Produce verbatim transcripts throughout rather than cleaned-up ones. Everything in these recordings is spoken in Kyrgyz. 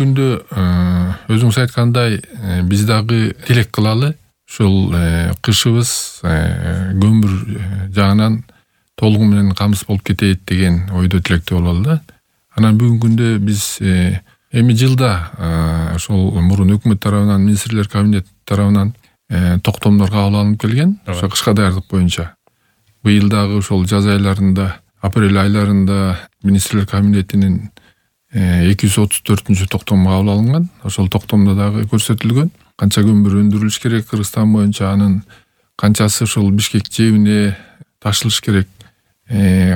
күндө өзүңүз айткандай биз дагы тилек кылалы ушул кышыбыз көмүр жагынан толугу менен камсыз болуп кетейт деген ойдо тилектүү бололу да. Анан бүгүнкү күндө биз эми жылда ошол мурун өкмөт тарабынан, министрлер кабинети тарабынан токтомдор кабыл алынып келген, ошо кышка даярдык боюнча. Быйыл дагы ошол жаз айларында, апрель айларында министрлер кабинетинин эки жүз отуз төртүнчү токтому кабыл алынган. Ошол токтомдо дагы көрсөтүлгөн канча көмүр өндүрүлүш керек Кыргызстан боюнча, анын канчасы ошол Бишкек жэбине ташылыш керек,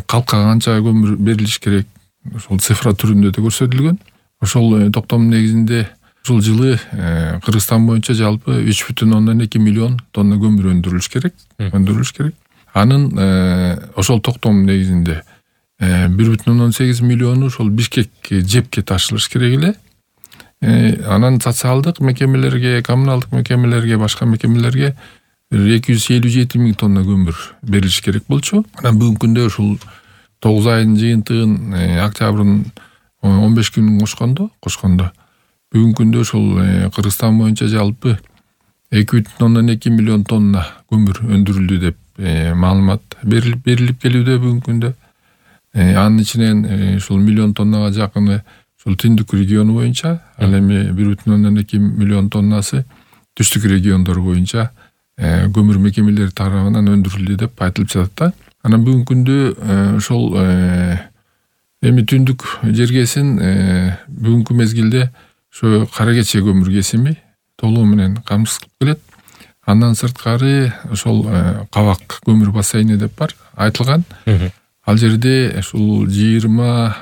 калкка канча көмүр берилиш керек, ошол цифра түрүндө да көрсөтүлгөн. Ошол токтомдун негизинде ушул жылы Кыргызстан боюнча жалпы үч бүтүн ондон эки миллион тонна көмүр өндүрүлүш керек, өндүрүлүш керек. Анын ошол токтом негизинде бир бүтүн ондон сегиз миллиону ошол Бишкек жепке ташылыш керек эле. Анан социалдык мекемелерге, коммуналдык мекемелерге, башка мекемелерге эки жүз элүү жети миң тонна көмүр берилиш керек болчу. Анан бүгүнкү күндө ушул тогуз айдын жыйынтыгын, октябрдын он беш күнүн кошкондо, кошкондо бүгүнкү күндө ушул Кыргызстан боюнча жалпы эки бүтүн ондон эки миллион тонна көмүр өндүрүлдү деп маалымат берилип берилип келүүдө бүгүнкү күндө. Анын ичинен ушул миллион тоннага жакыны ушул Түндүк региону боюнча, ал эми бир бүтүн ондон эки миллион тоннасы түштүк региондор боюнча көмүр мекемелери тарабынан өндүрүлдү деп айтылып жатат да. Анан бүгүнкү күндө ошол эми Түндүк жергесин бүгүнкү мезгилде ошо Кара Кече көмүр кесими толугу менен камсыз кылып келет. Андан сырткары ошол Кабак көмүр бассейни деп бар, айтылган. Ал жерде ушул жыйырма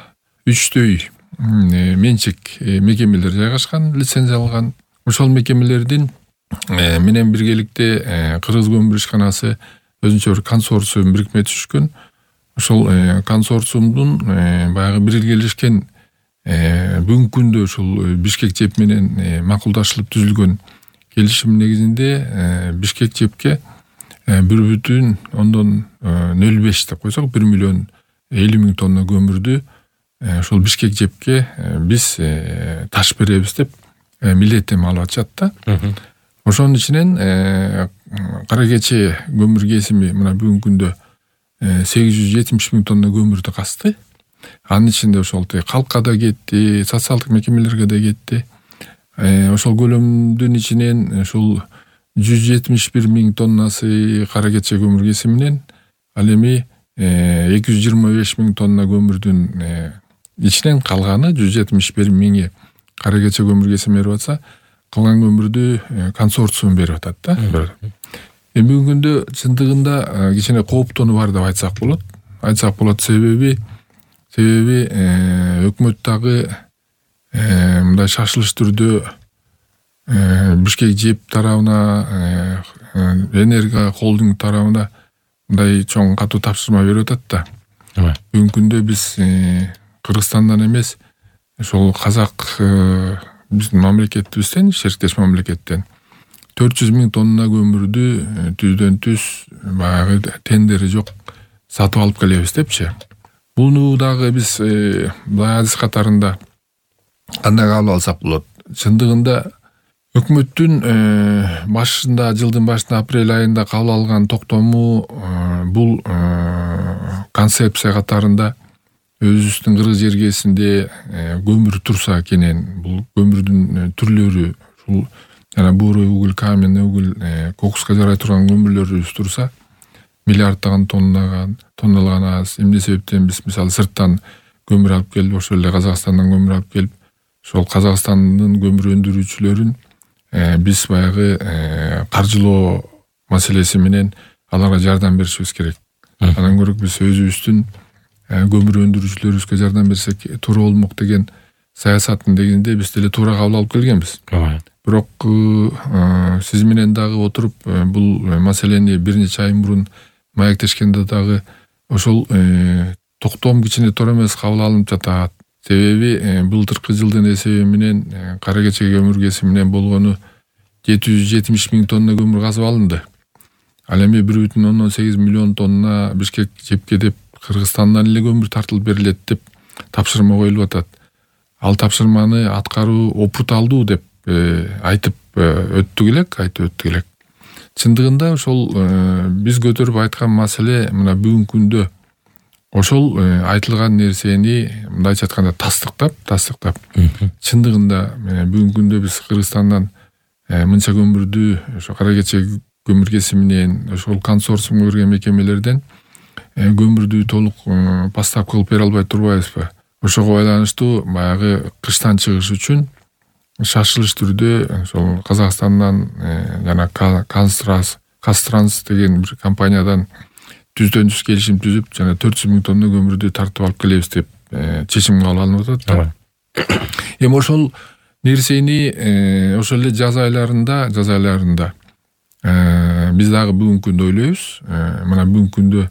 үчтөй менчик мекемелер жайгашкан, лицензияланган. Ошол мекемелердин менен биргеликте Кыргыз көмүр ишканасы өзүнчө бир консорциум бирикме түзүшкөн. Ошол консорциумдун баягы биргелешкен бүгүнкү күндө ушул Бишкек жеп менен макулдашылып түзүлгөн келишим негизинде Бишкек жепке бир бүтүн ондон нөл беш деп койсок, бир миллион элүү миң тонна көмүрдү ошол Бишкек жепке биз таш беребиз деп милдеттенме алып атышат да. Ошонун ичинен Кара Кече көмүр кесими мына бүгүнкү күндө сегиз жүз жетимиш миң тонна көмүрдү касты. Анын ичинде ошол калкка да кетти, социалдык мекемелерге да кетти. Ошол көлөмдүн ичинен ушул жүз жетимиш бир миң тоннасы Кара Кече көмүр кесиминен, ал эми эки жүз жыйырма беш миң тонна көмүрдүн ичинен калганы жүз жетимиш бир миңи Кара Кече көмүр кесими берип атса, калган көмүрдү консорциум берип атат да. Эми бүгүнкү күндө чындыгында кичине кооптонуу бар деп айтсак болот. Айтсак болот себеби себеби өкмөт дагы мындай шашылыш түрдө Бишкек жеп тарабына, Энерго холдинг тарабына мындай чоң катуу тапшырма берип атат да. Бүгүнкү күндө биз Кыргызстандан эмес, ошол казак биздин мамлекетибизден, шериктеш мамлекеттен төрт жүз миң тонна көмүрдү түздөн түз баягы тендери жок сатып алып келебиз депчи. Буну дагы биз бай адис катарында кандай кабыл алсак болот? Чындыгында өкмөттүн башында, жылдын башында апрель айында кабыл алган токтому бул концепция катарында өзүбүздүн Кыргыз жергесинде көмүр турса экенин, бул көмүрдүн түрлөрү, ушул жана буурой угуль, каменный угуль, кокуска жарай турган көмүрлөрүбүз турса, миллиарддаган тоннаган, тонналаган аз. Эмне себептен биз мисалы сырттан көмүр алып келип, ошол эле Казакстандан көмүр алып келип, ошол Казакстандын көмүр өндүрүүчүлөрүн биз баягы каржылоо маселеси менен аларга жардам беришибиз керек. Андан көрө биз өзүбүздүн көмүр өндүрүүчүлөрүбүзгө жардам берсек туура болмок деген саясаттын негизинде биз деле туура кабыл алып келгенбиз. Бирок сиз менен дагы отуруп бул маселени бир нече ай мурун маектешкенде дагы ошол токтом кичине туура эмес кабыл алынып жатат. Себеби былтыркы жылдын эсеби менен Кара Кече көмүр кесиминен болгону жети жүз жетимиш миң тонна көмүр казып алынды. Ал эми бир бүтүн ондон сегиз миллион тонна Бишкек жепке деп Кыргызстандан эле көмүр тартылып берилет деп тапшырма коюлуп атат. ал тапшырманы аткаруу опурталдуу деп айтып өттүк элек, айтып өттүк элек. Чындыгында ошол биз көтөрүп айткан маселе мына бүгүнкү күндө ошол айтылган нерсени мындайча айтканда тастыктап, тастыктап. Чындыгында бүгүнкү күндө биз Кыргызстандан мынча көмүрдү ошо кара кече көмүр кесиминен, ошол консорциумга кирген мекемелерден көмүрдү толук поставка кылып бере албай турбайбызбы? Ошого байланыштуу баягы кыштан чыгыш үчүн шашылыш түрдө ошол Казакстандан жана Кастранс, Кастранс деген бир компаниядан түздөн түз келишим түзүп, жана төрт жүз миң тонна көмүрдү тартып алып келебиз деп чечим кабыл алынып атат. Эми ошол нерсени ошол эле жаз айларында, жаз айларында биз дагы бүгүнкү күндө ойлойбуз. Мына бүгүнкү күндө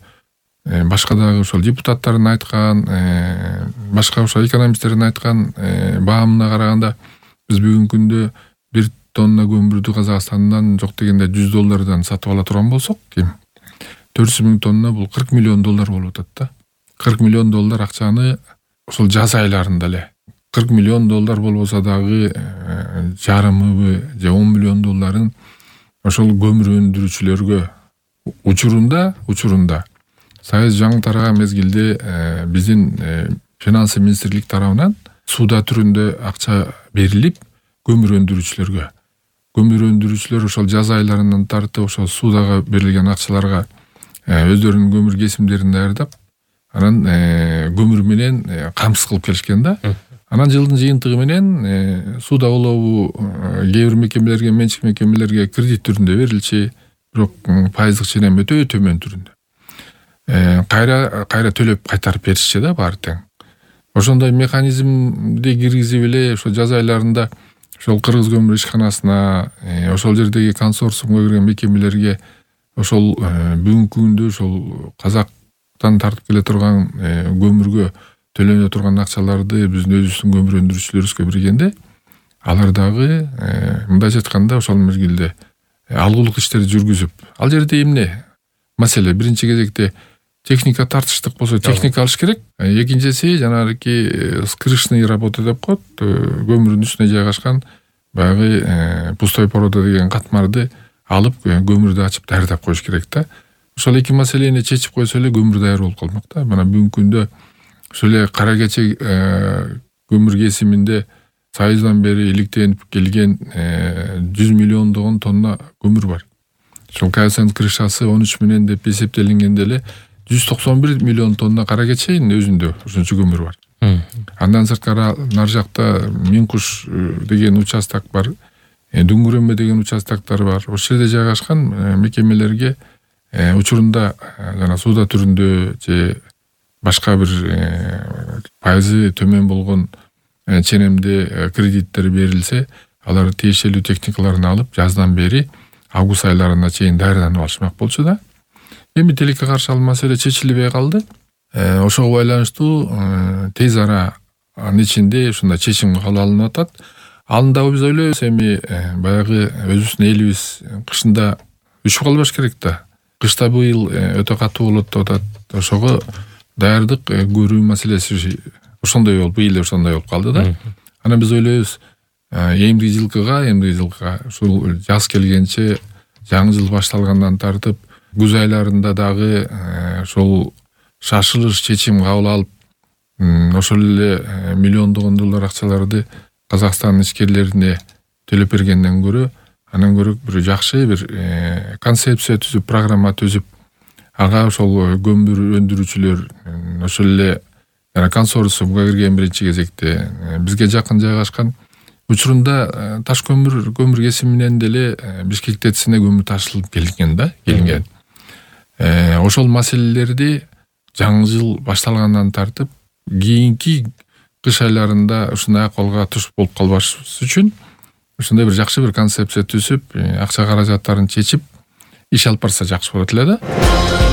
башка дагы ошол депутаттардын айткан, башка ошол экономисттердин айткан баамына караганда биз бүгүнкү күндө бир тонна көмүрдү Казакстандан жок дегенде жүз доллардан сатып ала турган болсок, ким төрт жүз миң тонна бул кырк миллион доллар болуп атат да. кырк миллион доллар акчаны ошол жаз айларында эле кырк миллион доллар болбосо дагы жарымыбы же он миллион долларын ошол көмүр өндүрүүчүлөргө учурунда, учурунда Союз жаңы тараган мезгилде биздин финансы министрлик тарабынан суда түрүндө акча берилип көмүр өндүрүүчүлөргө. Көмүр өндүрүүчүлөр ошол жаз айларынан тартып ошол судага берилген акчаларга өздөрүнүн көмүр кесимдерин даярдап, анан көмүр менен камсыз кылып келишкен да. Анан жылдын жыйынтыгы менен суда олобу кээ бир мекемелерге, менчик мекемелерге кредит түрүндө берилчи, бирок пайыздык ченем өтө төмөн түрүндө. Кайра кайра төлөп кайтарып беришчи да баары тең. Ошондой механизмди киргизип эле ошо жаз айларында ошол Кыргыз көмүр ишканасына, ошол жердеги консорциумга кирген мекемелерге ошол бүгүнкү күндө ошол Казактан тартып келе турган көмүргө төлөнө турган акчаларды биздин өзүбүздүн көмүр өндүрүүчүлөрүбүзгө бергенде алар дагы мындайча айтканда ошол мезгилде алгылык иштерди жүргүзүп, ал жерде эмне маселе? Биринчи кезекте техника тартыштык болсо техника алыш керек. Экинчиси жанагы скрышный работа деп коет, көмүрдүн үстүнө жайгашкан баягы пустой порода деген катмарды алып көмүрдү ачып даярдап коюш керек да. Ошол эки маселени чечип койсо эле көмүр даяр болуп калмак да. Мына бүгүнкү күндө ошол эле кара кече көмүр кесиминде Союздан бери иликтенип келген жүз миллиондогон тонна көмүр бар. Ошол коэффициент крышасы он үч менен деп эсептелингенде эле жүз токсон бир миллион тонна кара кеченин өзүндө ошончо көмүр бар. Андан сырткары нар жакта Минкуш деген участок бар, Дүңгүрөмө деген участоктор бар. Ошол жерде жайгашкан мекемелерге учурунда жана суда түрүндө же башка бир пайызы төмөн болгон ченемде кредиттер берилсе, алар тиешелүү техникаларын алып жаздан бери август айларына чейин даярданып алышмак болчу да. Эми тилекке каршы ал маселе чечилбей калды. Ошого байланыштуу тез аранын ичинде ушундай чечим кабыл алынып атат. Аны дагы биз ойлойбуз, эми баягы өзүбүздүн элибиз кышында үшүп калбаш керек да. Кышта быйыл өтө катуу болот деп атат. Ошого даярдык көрүү маселеси ошондой болуп, быйыл ошондой болуп калды да. Анан биз ойлойбуз, эмдиги жылкыга, эмдиги жылкыга ушул жаз келгенче, жаңы жыл башталгандан тартып күз айларында дагы ошол шашылыш чечим кабыл алып, ошол эле миллиондогон доллар акчаларды Казакстан ишкерлерине төлөп бергенден көрө, анан көрө бир жакшы бир концепция түзүп, программа түзүп, ага ошол көмүр өндүрүүчүлөр, ошол эле жана консорциумга кирген биринчи кезекте бизге жакын жайгашкан, учурунда таш көмүр көмүр кесиминен деле Бишкек ТЭЦине көмүр ташылып келген да, келген. Ошол маселелерди жаңы жыл башталгандан тартып кийинки кыш айларында ушундай акыбалга туш болуп калбаш үчүн ушундай бир жакшы бир концепция түзүп, акча каражаттарын чечип иш алып барса жакшы болот эле да.